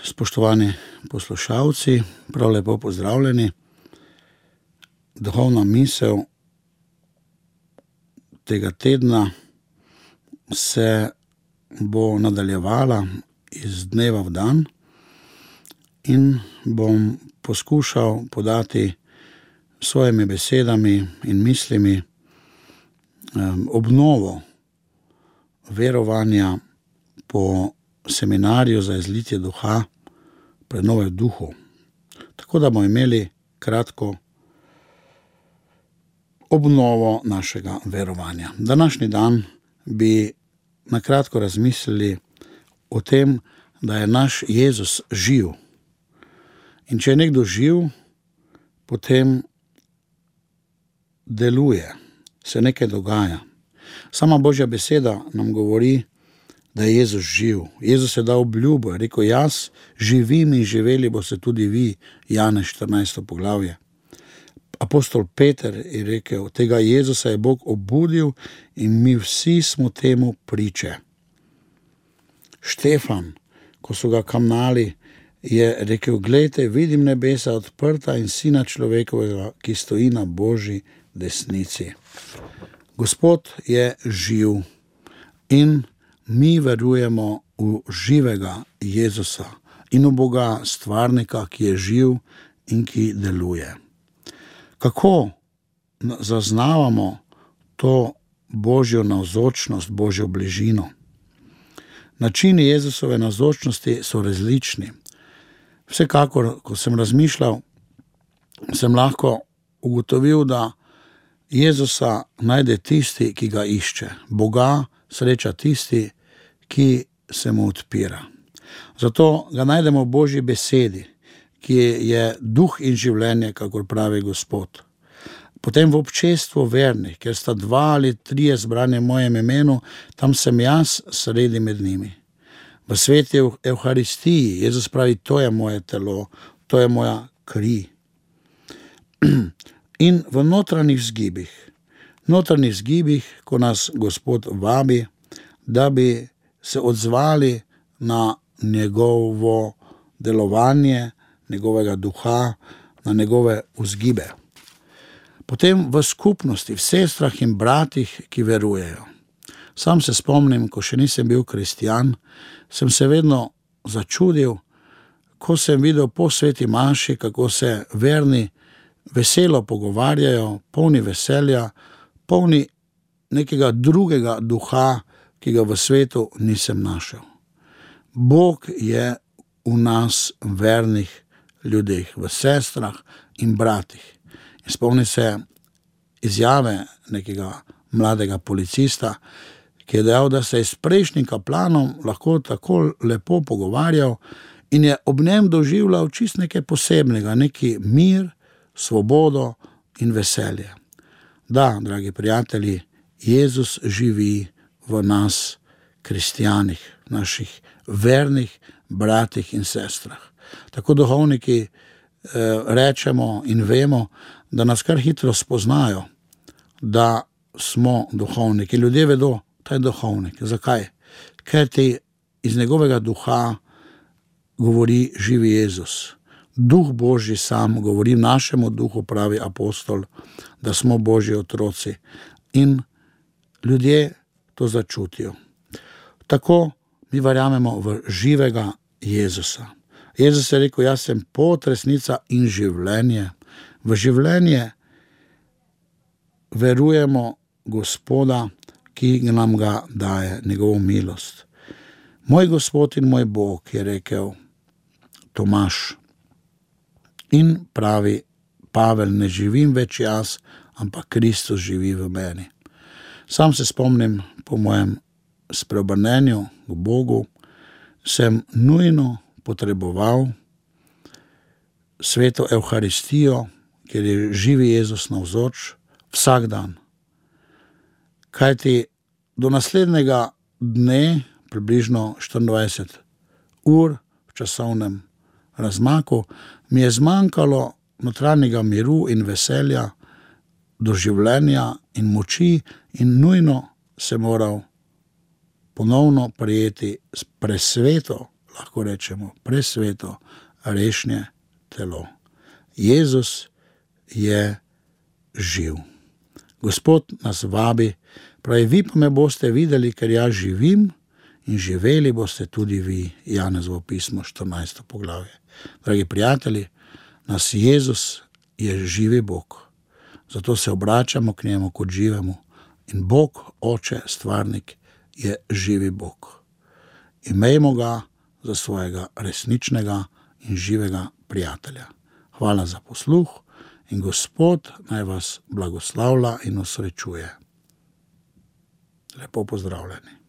Spoštovani poslušalci, prav lepo pozdravljeni. Duhovna misel tega tedna se bo nadaljevala iz dneva v dan in bom poskušal podati svojimi besedami in mislimi obnovo verovanja po seminarju za izlitje duha, prenove v duhu. Tako da bomo imeli kratko obnovo našega verovanja. Današnji dan bi na kratko razmislili o tem, da je naš Jezus živ. In če je nekdo živ, potem deluje, se nekaj dogaja. Sama Božja beseda nam govori, da je Jezus živ. Jezus je dal obljubo, je rekel, jaz živim in živeli boste tudi vi, Janez 14. poglavje. Apostol Peter je rekel, tega Jezusa je Bog obudil in mi vsi smo temu priče. Štefan, ko so ga kamnali, je rekel, glejte, vidim nebesa odprta in Sina človekovega, ki stoji na Božji desnici. Gospod je živ in mi verujemo v živega Jezusa in v Boga stvarnika, ki je živ in ki deluje. Kako zaznavamo to Božjo navzočnost, Božjo bližino? Načini Jezusove navzočnosti so različni. Vsekakor, ko sem razmišljal, sem lahko ugotovil, da Jezusa najde tisti, ki ga išče. Boga sreča tisti, ki se mu odpira. Zato ga najdemo v Božji besedi, ki je duh in življenje, kakor pravi Gospod. Potem v občestvu vernih, ker sta 2 ali 3 zbrani v mojem imenu, tam sem jaz sredi med njimi. V sveti Evharistiji Jezus pravi, to je moje telo, to je moja kri. In v notranjih vzgibih, ko nas Gospod vabi, da bi se odzvali na njegovo delovanje, njegovega duha, na njegove vzgibe. Potem v skupnosti, v sestrah in bratih, ki verujejo. Sam se spomnim, ko še nisem bil kristjan, sem se vedno začudil, ko sem videl po sveti maši, kako se verni veselo pogovarjajo, polni veselja, polni nekega drugega duha, ki ga v svetu nisem našel. Bog je v nas vernih ljudeh, v sestrah in bratih. In spomni se izjave nekega mladega policista, ki je dejal, da se je s prejšnjim kaplanom lahko tako lepo pogovarjal in je ob njem doživljal čist nekaj posebnega, neki mir, svobodo in veselje. Da, dragi prijatelji, Jezus živi v nas, kristjanih, naših vernih bratih in sestrah. Tako duhovniki rečemo in vemo, da nas kar hitro spoznajo, da smo duhovniki. Ljudje vedo, da je duhovnik. Zakaj? Ker ti iz njegovega duha govori živi Jezus. Duh Božji sam govori našemu duhu, pravi apostol, da smo Božji otroci. In ljudje to začutijo. Tako mi verjamemo v živega Jezusa. Jezus je rekel, jaz sem pot, resnica in življenje. V življenje verujemo Gospoda, ki nam ga daje, njegovo milost. Moj Gospod in moj Bog, je rekel Tomaž. In pravi Pavel, ne živim več jaz, ampak Kristus živi v meni. Sam se spomnim, po mojem spreobrnenju k Bogu, sem nujno potreboval sveto Evharistijo, kjer je živi Jezus navzoč, vsak dan. Kajti do naslednjega dne, približno 24 ur v časovnem razmaku, mi je zmanjkalo notranjega miru in veselja, doživljenja in moči in nujno se moral ponovno prijeti presveto lahko rečemo, presveto, rešnje telo. Jezus je živ. Gospod nas vabi, pravi, vi pa me boste videli, ker jaz živim, in živeli boste tudi vi. Janezovo pismo, 14. poglavje. Dragi prijatelji, nas Jezus je živi Bog. Zato se obračamo k njemu kot živemu. In Bog, Oče, Stvarnik, je živi Bog. Imejmo ga za svojega resničnega in živega prijatelja. Hvala za posluh in Gospod naj vas blagoslavlja in osrečuje. Lepo pozdravljeni.